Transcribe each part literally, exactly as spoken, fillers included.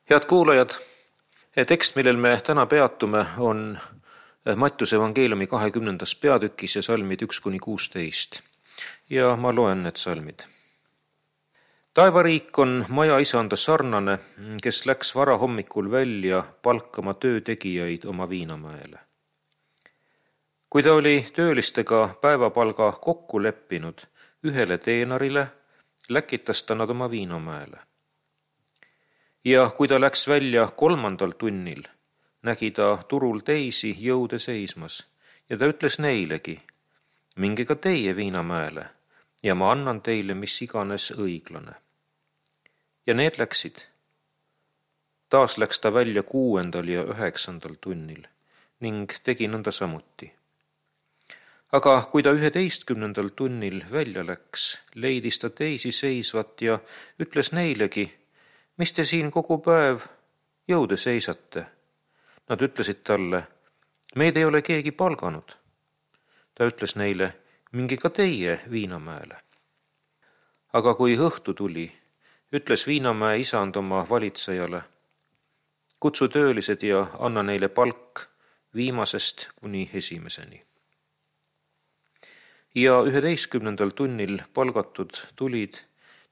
Head kuulajad, tekst, millel me täna peatume, on Mattiuse evangeeliumi kahekümnendas peatükis ja salmid üks kuni kuusteist. Ja ma loen need salmid. Taevariik on maja isanda sarnane, kes läks varahommikul välja palkama töötegijaid oma viinamäele. Kui ta oli töölistega päevapalga kokku leppinud ühele teenarile, läkitas ta nad oma viinamäele. Ja kui ta läks välja kolmandal tunnil, nägi ta turul teisi jõude seismas ja ta ütles neilegi, minge ka teie viinamäele ja ma annan teile mis iganes õiglane. Ja need läksid. Taas läks ta välja kuuendal ja üheksandal tunnil ning tegi nõnda samuti. Aga kui ta üheteistkümnendal tunnil välja läks, leidis ta teisi seisvat ja ütles neilegi, mis te siin kogu päev jõude seisate? Nad ütlesid talle, meid ei ole keegi palganud. Ta ütles neile, minge ka teie viinamäele. Aga kui õhtu tuli, ütles viinamäe isand oma valitsejale, kutsu töölised ja anna neile palk viimasest kuni esimeseni. Ja üheteistkümnendal tunnil palgatud tulid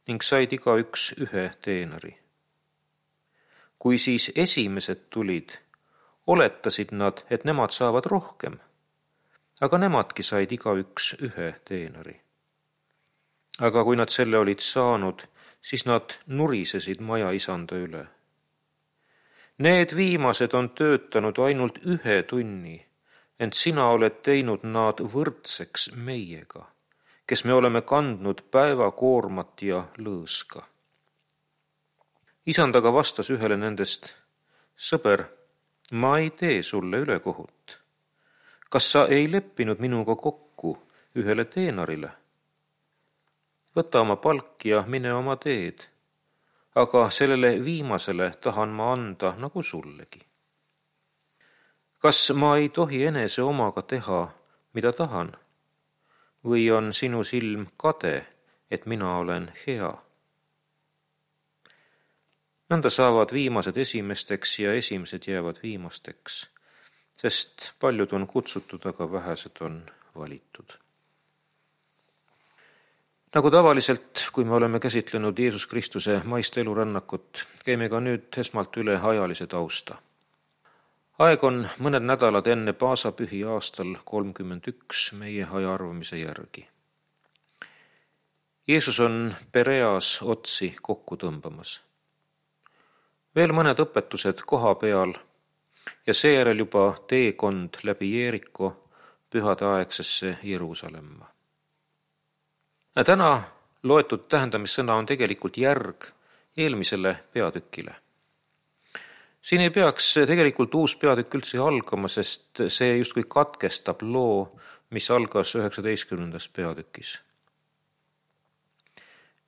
ning said igaüks ühe teenari. Kui siis esimesed tulid, oletasid nad, et nemad saavad rohkem, aga nemadki said igaüks ühe teenari. Aga kui nad selle olid saanud, siis nad nurisesid maja isanda üle. Need viimased on töötanud ainult ühe tunni, ent sina oled teinud nad võrdseks meiega, kes me oleme kandnud päevakoormat ja lõõska. Isand aga vastas ühele nendest, sõber, ma ei tee sulle ülekohut. Kas sa ei leppinud minuga kokku ühele teenarile? Võta oma palk ja mine oma teed, aga sellele viimasele tahan ma anda nagu sullegi. Kas ma ei tohi enese omaga teha, mida tahan? Või on sinu silm kade, et mina olen hea? Nõnda saavad viimased esimesteks ja esimesed jäävad viimasteks, sest paljud on kutsutud, aga vähesed on valitud. Nagu tavaliselt, kui me oleme käsitlenud Jeesus Kristuse maist elurännakut, käime ka nüüd esmalt üle ajalise tausta. Aeg on mõned nädalad enne paasapühi aastal kolmkümmend üks meie ajaarvamise järgi. Jeesus on Pereas otsi kokku tõmbamas. Veel mõned õpetused koha peal ja seejärel juba teekond läbi Jeeriko pühadeaegsesse Jeruusalemma. Täna loetud tähendamissõna on tegelikult järg eelmisele peatükile. Siin ei peaks tegelikult uus peatükk üldse algama, sest see justkui katkestab loo, mis algas üheksateistkümnendas peatükis.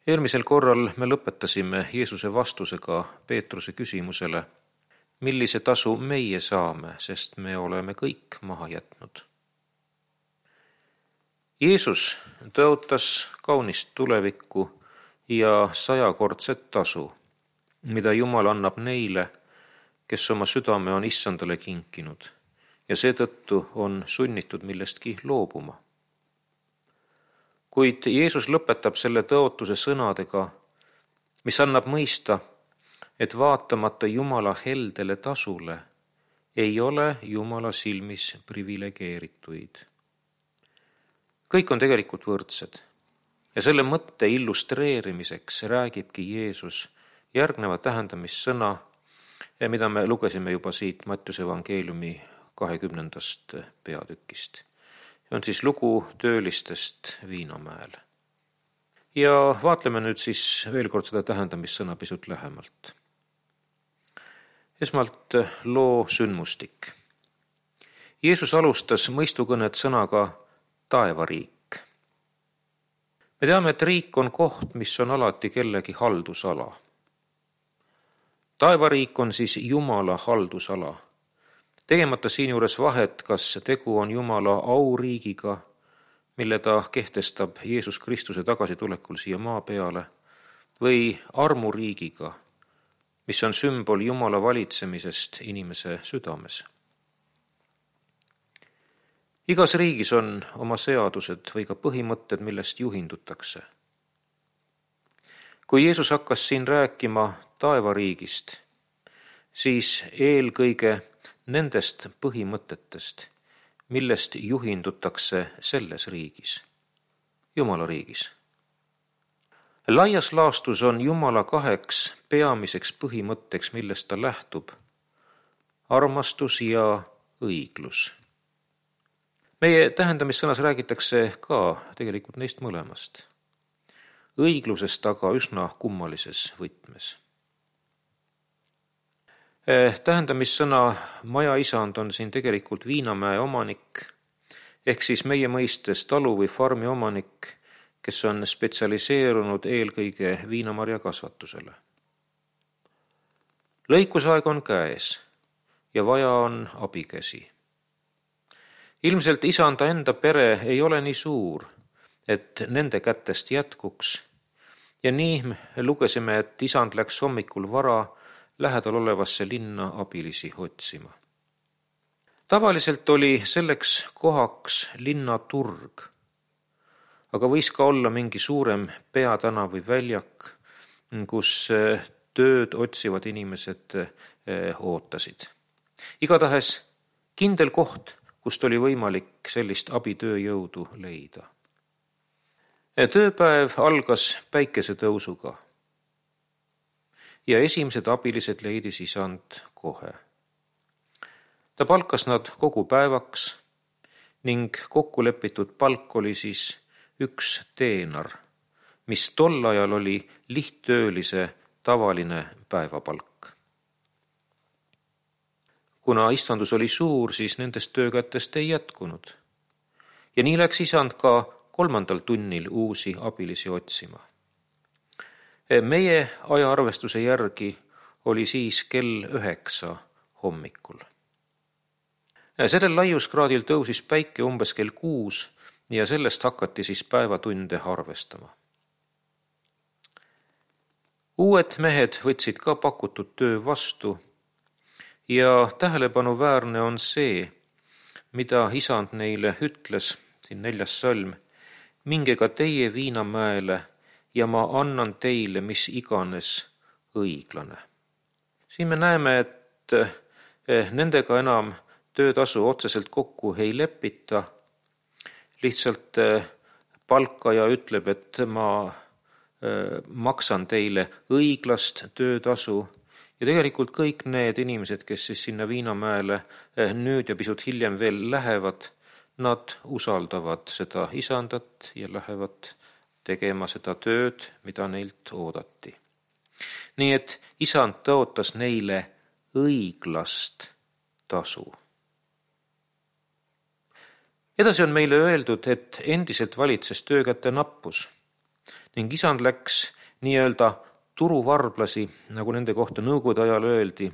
Eelmisel korral me lõpetasime Jeesuse vastusega Peetruse küsimusele, millise tasu meie saame, sest me oleme kõik maha jätnud. Jeesus tõotas kaunist tulevikku ja sajakordset tasu, mida Jumal annab neile, kes oma südame on issandale kinkinud ja seetõttu on sunnitud millestki loobuma. Kuid Jeesus lõpetab selle tõotuse sõnadega, mis annab mõista, et vaatamata Jumala heldele tasule ei ole Jumala silmis privilegeerituid. Kõik on tegelikult võrdsed ja selle mõtte illustreerimiseks räägibki Jeesus järgneva tähendamissõna, mida me lugesime juba siit Mattiuse evangeeliumi kahekümnendast peatükist. See on siis lugu töölistest viinamäel. Ja vaatleme nüüd siis veel kord seda tähendamissõna pisut lähemalt. Esmalt loo sündmustik. Jeesus alustas mõistukõnet sõnaga taevariik. Me teame, et riik on koht, mis on alati kellegi haldusala. Taevariik on siis Jumala haldusala. Tegemata siinjuures vahet, kas tegu on Jumala auriigiga, mille ta kehtestab Jeesus Kristuse tagasitulekul siia maa peale, või armuriigiga, mis on sümbol Jumala valitsemisest inimese südames. Igas riigis on oma seadused või ka põhimõtted, millest juhindutakse. Kui Jeesus hakkas siin rääkima taevariigist, siis eelkõige nendest põhimõtetest, millest juhindutakse selles riigis, Jumala riigis. Laias laastus on Jumala kaheks peamiseks põhimõtteks, millest ta lähtub, armastus ja õiglus. Meie tähendamissõnas räägitakse ka tegelikult neist mõlemast. Õiglusest aga üsna kummalises võtmes. Tähendamissõna majaisand on siin tegelikult Viinamäe omanik, ehk siis meie mõistes talu või farmi omanik, kes on spetsialiseerunud eelkõige viinamarja kasvatusele. Lõikusaeg on käes ja vaja on abikäsi. Ilmselt isanda enda pere ei ole nii suur, et nende kätest jätkuks, ja nii me lugesime, et isand läks hommikul vara lähedal olevasse linna abilisi otsima. Tavaliselt oli selleks kohaks linnaturg, aga võis ka olla mingi suurem peatana või väljak, kus tööd otsivad inimesed ootasid. Igatahes kindel koht, kust oli võimalik sellist abitööjõudu leida. Tööpäev algas päikesetõusuga ja esimesed abilised leidis isand kohe. Ta palkas nad kogu päevaks ning kokkulepitud palk oli siis üks teenar, mis tol ajal oli lihttöölise tavaline päevapalk. Kuna istandus oli suur, siis nendest töökätest ei jätkunud. Ja nii läks isand ka kolmandal tunnil uusi abilisi otsima. Meie ajaarvestuse järgi oli siis kell üheksa hommikul. Sellel laiuskraadil tõusis päike umbes kell kuus ja sellest hakati siis päevatunde arvestama. Uued mehed võtsid ka pakutud töö vastu ja tähelepanuväärne on see, mida isand neile ütles, siin neljas salm, minge ka teie Viinamäele ja ma annan teile mis iganes õiglane. Siin me näeme, et nendega enam töötasu otseselt kokku ei lepita, lihtsalt palkaja ütleb, et ma maksan teile õiglast töötasu ja tegelikult kõik need inimesed, kes siis sinna Viinamäele nüüd ja pisut hiljem veel lähevad, nad usaldavad seda isandat ja lähevad tegema seda tööd, mida neilt oodati. Nii et isand tõotas neile õiglast tasu. Edasi on meile öeldud, et endiselt valitses töökäte nappus ning isand läks nii-öelda turuvarblasi, nagu nende kohta nõukogude ajal öeldi,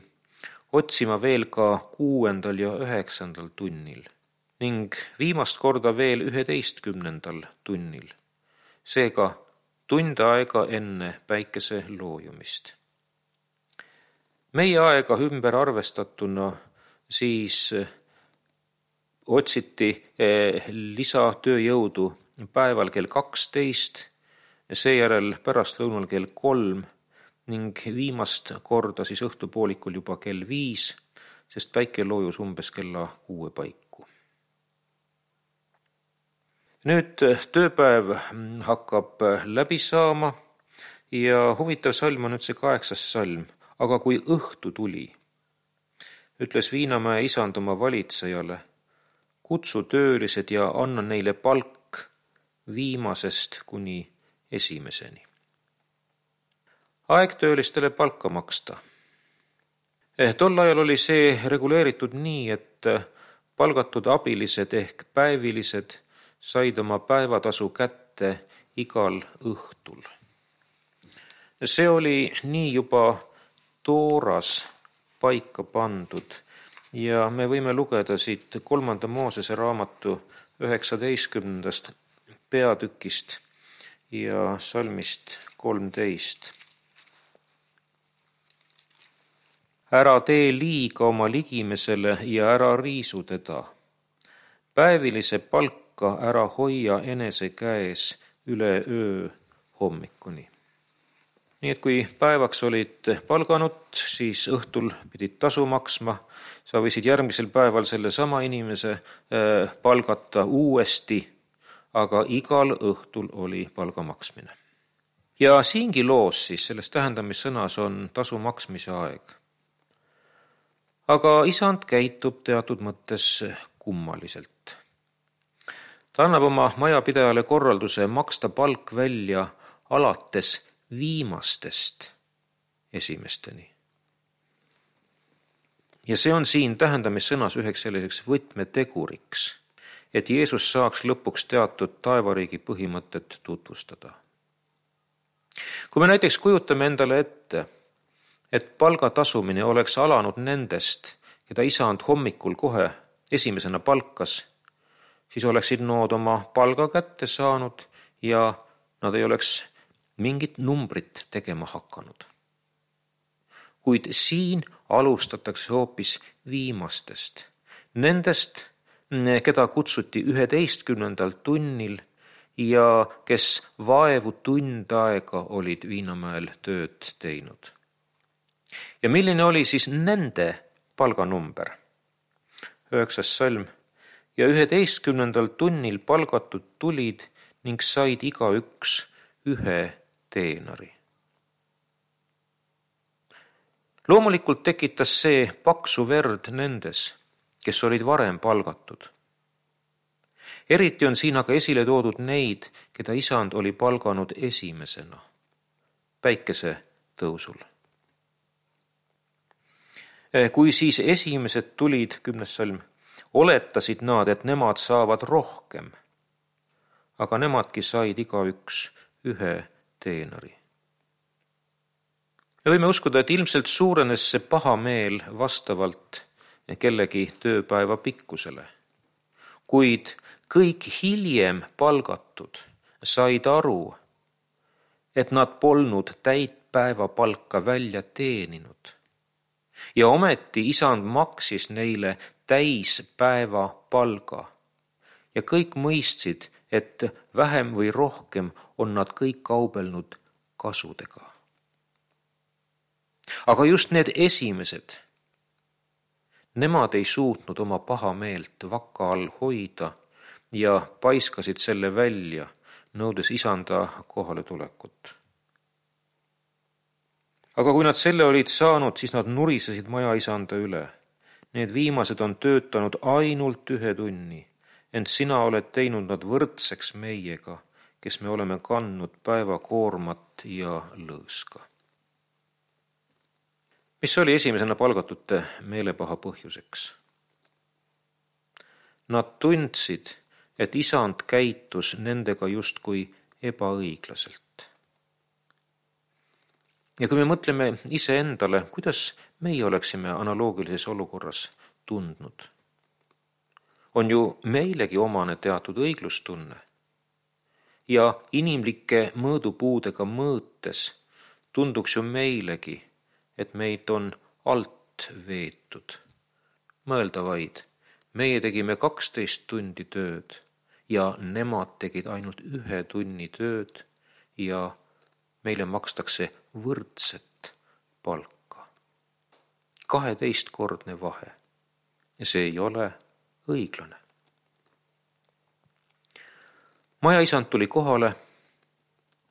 otsima veel ka kuuendal ja üheksandal tunnil ning viimast korda veel üheteistkümnendal tunnil, seega tund aega enne päikese loojumist. Meie aega ümber arvestatuna siis otsiti lisatööjõudu päeval kell kaksteist, seejärel pärastlõunal kell kolm ning viimast korda siis õhtupoolikul juba kell viis, sest päike loojus umbes kella kuue paiku. Nüüd tööpäev hakkab läbi saama ja huvitav salm on nüüd see kaheksas salm, aga kui õhtu tuli, ütles Viinamäe isand oma valitsejale, kutsu töölised ja anna neile palk viimasest kuni esimeseni. Aeg töölistele palka maksta. Tol ajal oli see reguleeritud nii, et palgatud abilised ehk päevilised said oma päevatasu kätte igal õhtul. See oli nii juba tooras paika pandud ja me võime lugeda siit kolmanda Moosese raamatu üheksateistkümnendast peatükist ja salmist kolmteist. ära tee liiga oma ligimesele ja ära riisu teda. Päevilise palka ära hoia enese käes üle öö hommikuni. Nii et kui päevaks olid palganud, siis õhtul pidid tasu maksma. Sa võisid järgmisel päeval selle sama inimese palgata uuesti, aga igal õhtul oli palga maksmine. Ja siingi loos siis selles tähendamissõnas on tasu maksmise aeg. Aga isand käitub teatud mõttes kummaliselt. Ta annab oma majapidajale korralduse maksta palk välja alates viimastest esimesteni. Ja see on siin tähendamissõnas üheks selliseks võtmeteguriks, et Jeesus saaks lõpuks teatud taevariigi põhimõtet tutvustada. Kui me näiteks kujutame endale ette, et palga tasumine oleks alanud nendest, keda isand hommikul kohe esimesena palkas, siis oleksid nood oma palga kätte saanud ja nad ei oleks mingit numbrit tegema hakanud. Kuid siin alustatakse hoopis viimastest, nendest, keda kutsuti üheteistkümnendal tunnil ja kes vaevu tund aega olid Viinamäel tööd teinud. Ja milline oli siis nende palganumber? Üheksas salm. Ja üheteistkümnendal tunnil palgatud tulid ning said igaüks ühe teenari. Loomulikult tekitas see paksu verd nendes, kes olid varem palgatud. Eriti on siin aga esile toodud neid, keda isand oli palganud esimesena, päikese tõusul. Kui siis esimesed tulid, kümnes salm, oletasid nad, et nemad saavad rohkem, aga nemadki said igaüks ühe teenari. Me võime uskuda, et ilmselt suurenes see paha meel vastavalt kellegi tööpäeva pikkusele. Kuid kõik hiljem palgatud said aru, et nad polnud täit päeva palka välja teeninud. Ja ometi isand maksis neile täispäeva palga. Ja kõik mõistsid, et vähem või rohkem on nad kõik kaubelnud kasudega. Aga just need esimesed, nemad ei suutnud oma paha meelt vaka all hoida ja paiskasid selle välja, nõudes isanda kohale tulekut. Aga kui nad selle olid saanud, siis nad nurisesid maja isanda üle. Need viimased on töötanud ainult ühe tunni, ent sina oled teinud nad võrdseks meiega, kes me oleme kandnud päevakoormat ja lõõska. Mis oli esimesena palgatute meelepaha põhjuseks? Nad tundsid, et isand käitus nendega justkui ebaõiglaselt. Ja kui me mõtleme iseendale, kuidas meie oleksime analoogilises olukorras tundnud, on ju meilegi omane teatud õiglustunne ja inimlike mõõdupuudega mõõtes tunduks ju meilegi, et meid on alt veetud. Mõelda vaid, meie tegime kaksteist tundi tööd ja nemad tegid ainult ühe tunni tööd ja meile makstakse võrdset palka. kaheteistkordne vahe ja see ei ole õiglane. Majaisand tuli kohale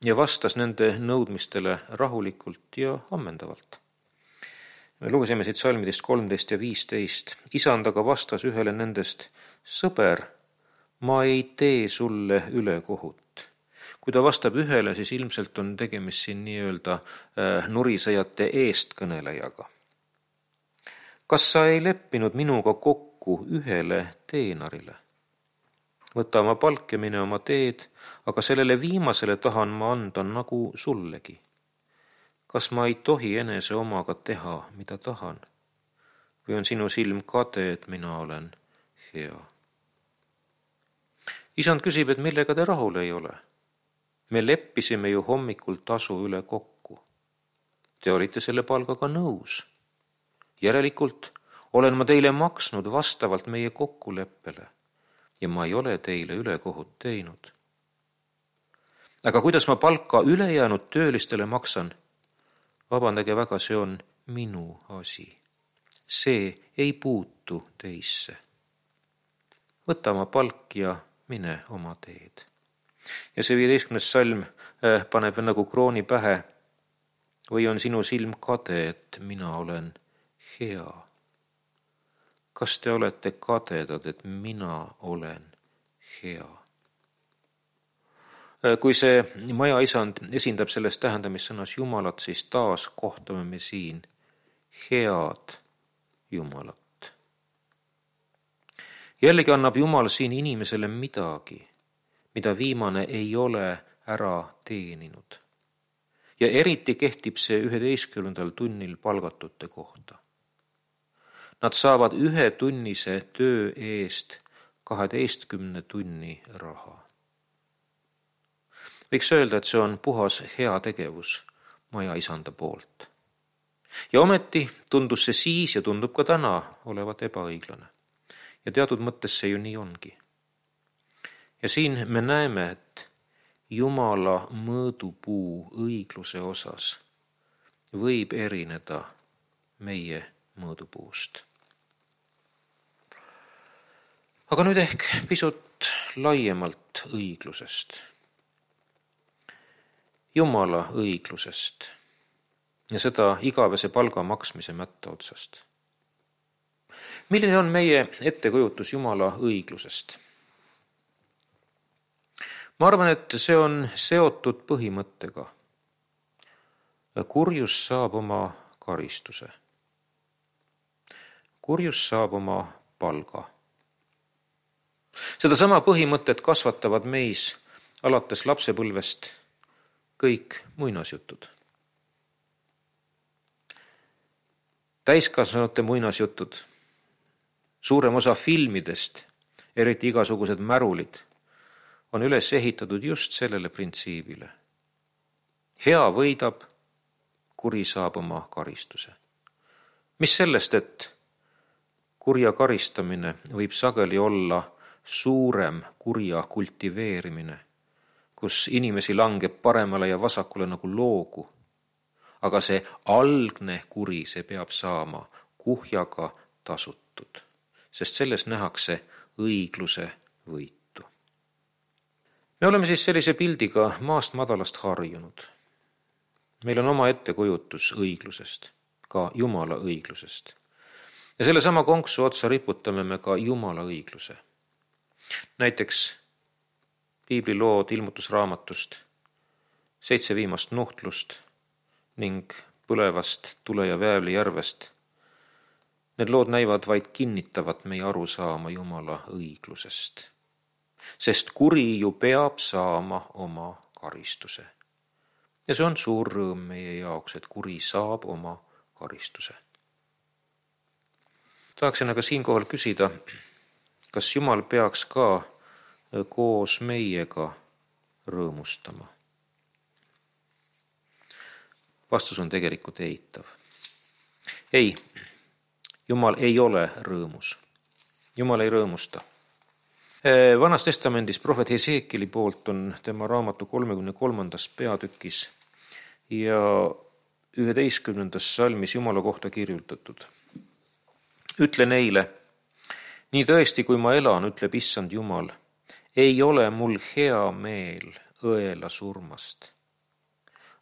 ja vastas nende nõudmistele rahulikult ja ammendavalt. Me lugesime siit salmidest kolmteist ja viisteist. Isand aga vastas ühele nendest, sõber, ma ei tee sulle ülekohut. Kui ta vastab ühele, siis ilmselt on tegemist siin nii-öelda äh, nurisejate eestkõnelejaga. Kas sa ei leppinud minuga kokku ühele teenarile? Võta oma palk ja mine oma teed, aga sellele viimasele tahan ma anda nagu sullegi. Kas ma ei tohi enese omaga teha, mida tahan? Või on sinu silm kade, et mina olen hea? Isand küsib, et millega te rahul ei ole? Me leppisime ju hommikul tasu üle kokku. Te olite selle palgaga nõus. Järelikult olen ma teile maksnud vastavalt meie kokkuleppele ja ma ei ole teile ülekohut teinud. Aga kuidas ma palka ülejäänud töölistele maksan? Vabandage väga, see on minu asi. See ei puutu teisse. Võta oma palk ja mine oma teed. Ja see viieteistkümnes salm äh, paneb nagu krooni pähe. Või on sinu silm kade, et mina olen hea? Kas te olete kadedad, et mina olen hea? Kui see maja isand esindab selles tähendamissõnas Jumalat, siis taas kohtame me siin head Jumalat. Jällegi annab Jumal siin inimesele midagi, mida viimane ei ole ära teeninud. Ja eriti kehtib see üheteistkümnendal tunnil palgatute kohta. Nad saavad ühe tunnise töö eest kaheteistkümne tunni raha. Võiks öelda, et see on puhas hea tegevus maja isanda poolt. Ja ometi tundus see siis ja tundub ka täna olevat ebaõiglane. Ja teatud mõttes see ju nii ongi. Ja siin me näeme, et Jumala mõõdupuu õigluse osas võib erineda meie mõõdupuust. Aga nüüd ehk pisut laiemalt õiglusest. Jumala õiglusest ja seda igavese palga maksmise mätta otsast. Milline on meie ettekujutus Jumala õiglusest? Ma arvan, et see on seotud põhimõttega. Kurjus saab oma karistuse. Kurjus saab oma palga. Seda sama põhimõtet kasvatavad meis alates lapsepõlvest kõik muinasjutud. Täiskasvanute muinasjutud, suurem osa filmidest, eriti igasugused märulid, on üles ehitatud just sellele printsiibile. Hea võidab, kuri saab oma karistuse. Mis sellest, et kurja karistamine võib sageli olla suurem kurja kultiveerimine, kus inimesi langeb paremale ja vasakule nagu loogu, aga see algne kuri, see peab saama kuhjaga tasutud, sest selles nähakse õigluse võitu. Me oleme siis sellise pildiga maast madalast harjunud. Meil on oma ettekujutus õiglusest, ka Jumala õiglusest. Ja selle sama konksu otsa riputame me ka Jumala õigluse. Näiteks piiblilood ilmutusraamatust, seitse viimast nuhtlust ning põlevast tule ja väävli järvest. Need lood näivad vaid kinnitavat meie arusaama Jumala õiglusest. Sest kuri ju peab saama oma karistuse. Ja see on suur rõõm meie jaoks, et kuri saab oma karistuse. Tahaksin aga siinkohal küsida, kas Jumal peaks ka koos meiega rõõmustama? Vastus on tegelikult eitav. Ei, Jumal ei ole rõõmus. Jumal ei rõõmusta. Vanas testamendis prohvet Heseekili poolt on tema raamatu kolmekümne kolmandas peatükis ja üheteistkümnendas salmis Jumala kohta kirjutatud. Ütle neile, nii tõesti, kui ma elan, ütleb issand Jumal, ei ole mul hea meel õela surmast,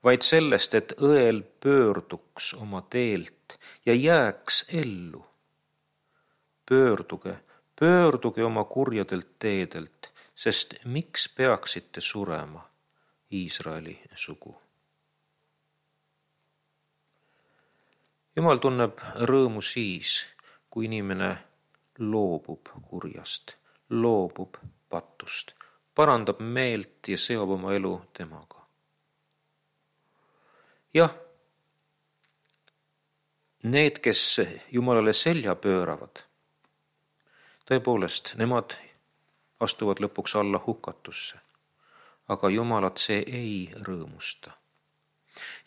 vaid sellest, et õel pöörduks oma teelt ja jääks ellu. Pöörduge, pöörduge oma kurjadelt teedelt, sest miks peaksite surema, Iisraeli sugu? Jumal tunneb rõõmu siis, kui inimene loobub kurjast, loobub patust, parandab meelt ja seob oma elu temaga. Jah, need, kes Jumalale selja pööravad, tõepoolest, nemad astuvad lõpuks alla hukatusse, aga Jumalat see ei rõõmusta.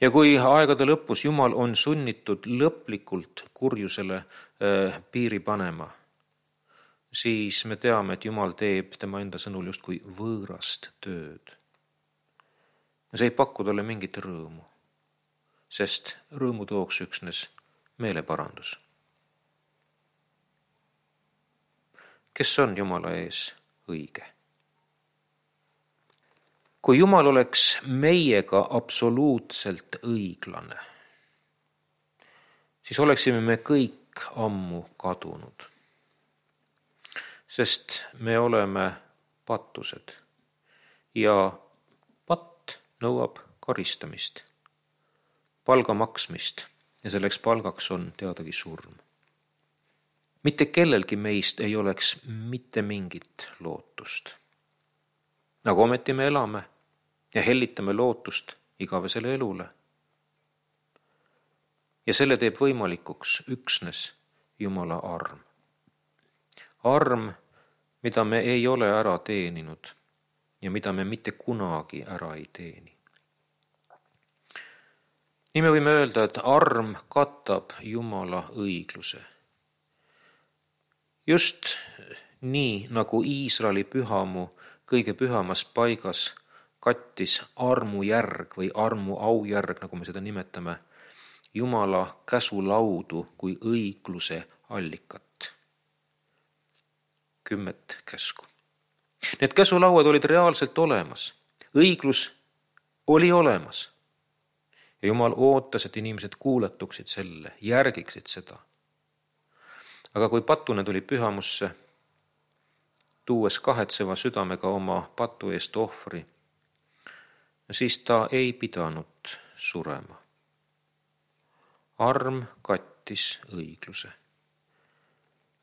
Ja kui aegade lõpus Jumal on sunnitud lõplikult kurjusele äh, piiri panema, siis me teame, et Jumal teeb tema enda sõnul justkui võõrast tööd. Ja see ei paku talle mingit rõõmu, sest rõõmu tooks üksnes meeleparandus. Kes on Jumala ees õige? Kui Jumal oleks meiega absoluutselt õiglane, siis oleksime me kõik ammu kadunud, sest me oleme pattused ja patt nõuab karistamist, palga maksmist ja selleks palgaks on teadagi surm. Mitte kellelgi meist ei oleks mitte mingit lootust. Nagu ometi me elame ja hellitame lootust igavesele elule. Ja selle teeb võimalikuks üksnes Jumala arm. Arm, mida me ei ole ära teeninud ja mida me mitte kunagi ära ei teeni. Nii me võime öelda, et arm katab Jumala õigluse. Just nii, nagu Iisraeli pühamu kõige pühamas paigas kattis armujärg või armu aujärg, nagu me seda nimetame, Jumala käsulaudu kui õigluse allikat. Kümmet käsku. Need käsulauad olid reaalselt olemas. Õiglus oli olemas. Ja Jumal ootas, et inimesed kuuletuksid selle, järgiksid seda. Aga kui patune tuli pühamusse, tuues kahetseva südamega oma patu eest ohvri, siis ta ei pidanud surema. Arm kattis õigluse.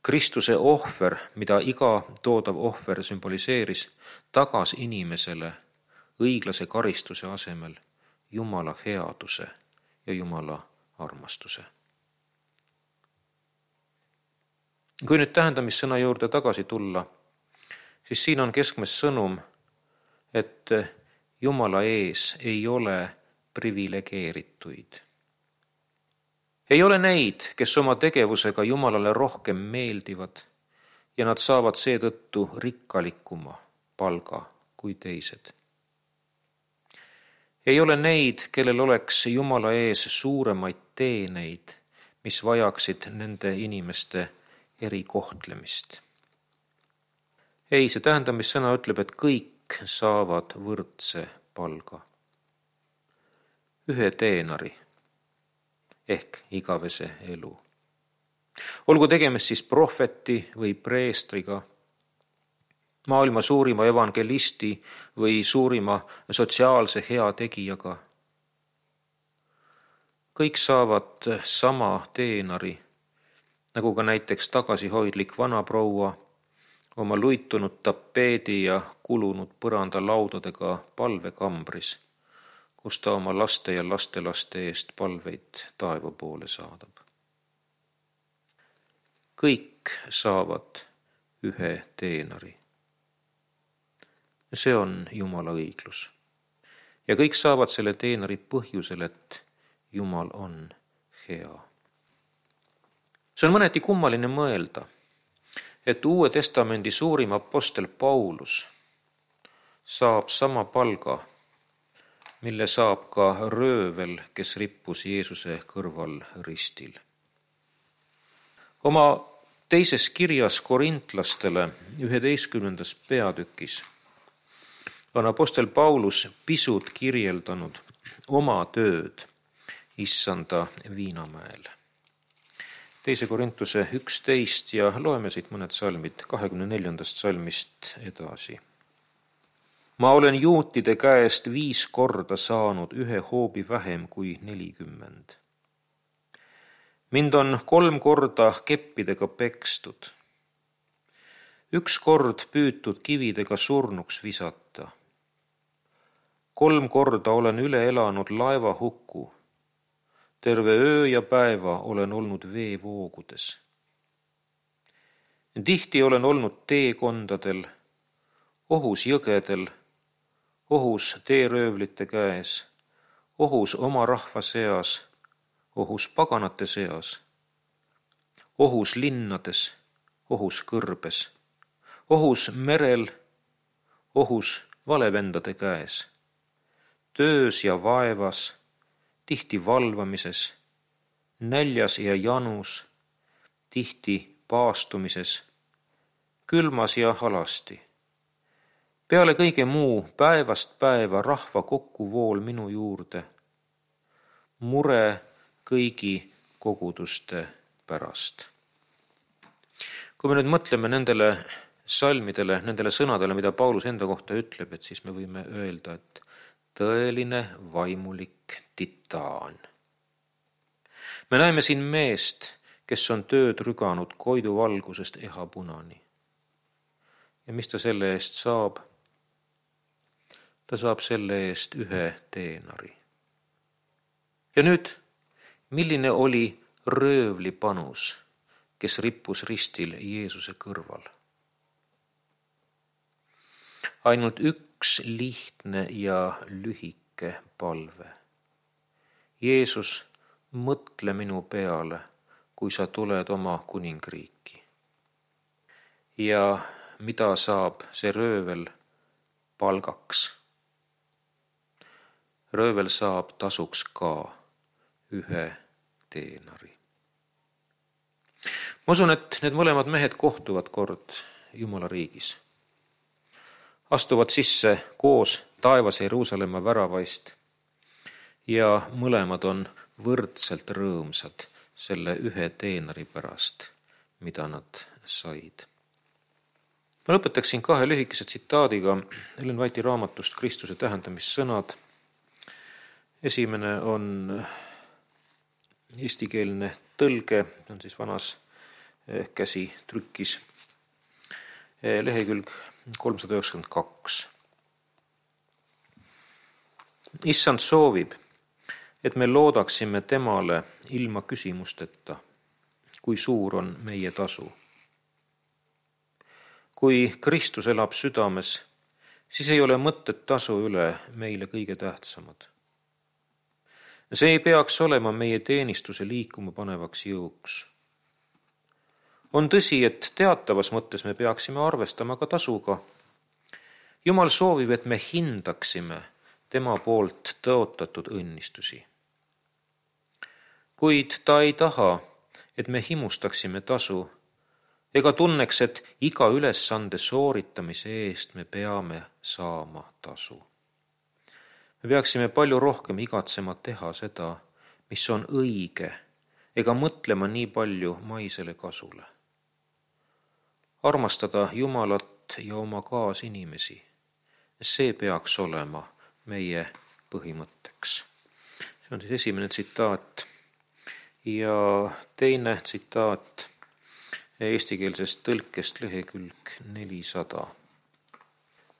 Kristuse ohver, mida iga toodav ohver sümboliseeris, tagas inimesele õiglase karistuse asemel Jumala headuse ja Jumala armastuse. Kui nüüd tähendamissõna juurde tagasi tulla, siis siin on keskmes sõnum, et Jumala ees ei ole privilegeerituid. Ei ole neid, kes oma tegevusega Jumalale rohkem meeldivad ja nad saavad seetõttu rikkalikuma palga kui teised. Ei ole neid, kellel oleks Jumala ees suuremaid teeneid, mis vajaksid nende inimeste erikohtlemist. Ei, see tähendamissõna ütleb, et kõik saavad võrdse palga. Ühe teenari ehk igavese elu. Olgu tegemist siis prohveti või preestriga, maailma suurima evangelisti või suurima sotsiaalse heategijaga. Kõik saavad sama teenari, nagu ka näiteks tagasihoidlik vanaproua oma luitunud tapeedi ja kulunud põrandalaudadega palvekambris, kus ta oma laste ja lastelaste eest palveid taeva poole saadab. Kõik saavad ühe teenari. See on Jumala õiglus. Ja kõik saavad selle teenari põhjusel, et Jumal on hea. See on mõneti kummaline mõelda, et Uue Testamendi suurim apostel Paulus saab sama palga, mille saab ka röövel, kes rippus Jeesuse kõrval ristil. Oma teises kirjas korintlastele üheteistkümnendas peatükis on apostel Paulus pisut kirjeldanud oma tööd issanda Viinamäel. Teise Korintuse üksteist ja loeme siit mõned salmid kahekümne neljandast salmist edasi. Ma olen juutide käest viis korda saanud ühe hoobi vähem kui nelikümmend. Mind on kolm korda keppidega pekstud. Üks kord püütud kividega surnuks visata. Kolm korda olen üle elanud laeva hukku. Terve öö ja päeva olen olnud veevoogudes. Tihti olen olnud teekondadel, ohus jõgedel, ohus teeröövlite käes, ohus oma rahva seas, ohus paganate seas, ohus linnades, ohus kõrbes, ohus merel, ohus valevendade käes, töös ja vaevas, tihti valvamises, näljas ja janus, tihti paastumises, külmas ja alasti. Peale kõige muu päevast päeva rahva kokkuvool minu juurde, mure kõigi koguduste pärast. Kui me nüüd mõtleme nendele salmidele, nendele sõnadele, mida Paulus enda kohta ütleb, et siis me võime öelda, et tõeline vaimulik titaan. Me näeme siin meest, kes on tööd rüganud Koidu valgusest ehapunani. Ja mis ta selle eest saab? Ta saab selle eest ühe teenari. Ja nüüd, milline oli röövli panus, kes rippus ristil Jeesuse kõrval? Ainult üks lihtne ja lühike palve. Jeesus, mõtle minu peale, kui sa tuled oma kuningriiki. Ja mida saab see röövel palgaks? Röövel saab tasuks ka ühe teenari. Ma usun, et need mõlemad mehed kohtuvad kord Jumala riigis. Astuvad sisse koos taevas Jeruusalemma väravaist ja mõlemad on võrdselt rõõmsad selle ühe teenari pärast, mida nad said. Ma lõpetaksin kahe lühikese tsitaadiga Ellen White'i raamatust Kristuse tähendamissõnad. Esimene on eestikeelne tõlge, on siis vanas käsitrükis, lehekülg kolmsada üheksakümmend kaks. Issand soovib, et me loodaksime temale ilma küsimusteta, kui suur on meie tasu. Kui Kristus elab südames, siis ei ole mõtted tasu üle meile kõige tähtsamad. See ei peaks olema meie teenistuse liikuma panevaks jõuks. On tõsi, et teatavas mõttes me peaksime arvestama ka tasuga. Jumal soovib, et me hindaksime tema poolt tõotatud õnnistusi. Kuid ta ei taha, et me himustaksime tasu ega tunneks, et iga ülesande sooritamise eest me peame saama tasu. Me peaksime palju rohkem igatsema teha seda, mis on õige, ega mõtlema nii palju maisele kasule. Armastada Jumalat ja oma kaasinimesi, see peaks olema meie põhimõtteks. See on siis esimene tsitaat. Ja teine tsitaat eestikeelsest tõlkest lehekülg nelisada.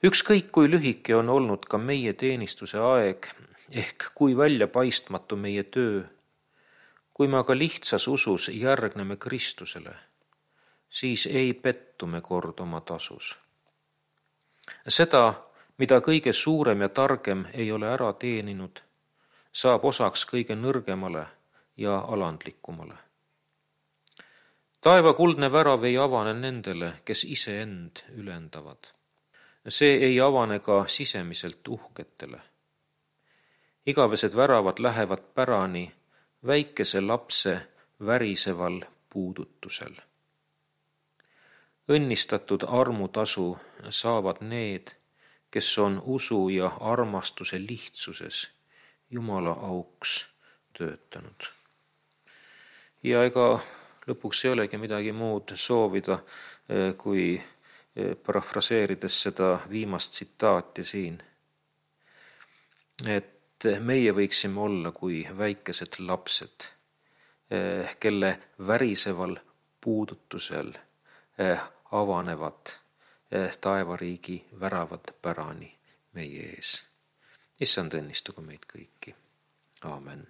Ükskõik kui lühike on olnud ka meie teenistuse aeg, ehk kui väljapaistmatu meie töö, kui me aga lihtsas usus järgneme Kristusele, siis ei pettu me kord oma tasus. Seda, mida kõige suurem ja targem ei ole ära teeninud, saab osaks kõige nõrgemale ja alandlikumale. Taeva kuldne värav ei avane nendele, kes iseend ülendavad. See ei avane ka sisemiselt uhketele. Igavesed väravad lähevad pärani väikese lapse väriseval puudutusel. Õnnistatud armutasu saavad need, kes on usu ja armastuse lihtsuses Jumala auks töötanud. Ja ega lõpuks ei olegi midagi muud soovida, kui parafraseerides seda viimast tsitaati siin, et meie võiksime olla kui väikesed lapsed, kelle väriseval puudutusel avanevad taevariigi väravad pärani meie ees. Issand õnnistagu meid kõiki. Aamen.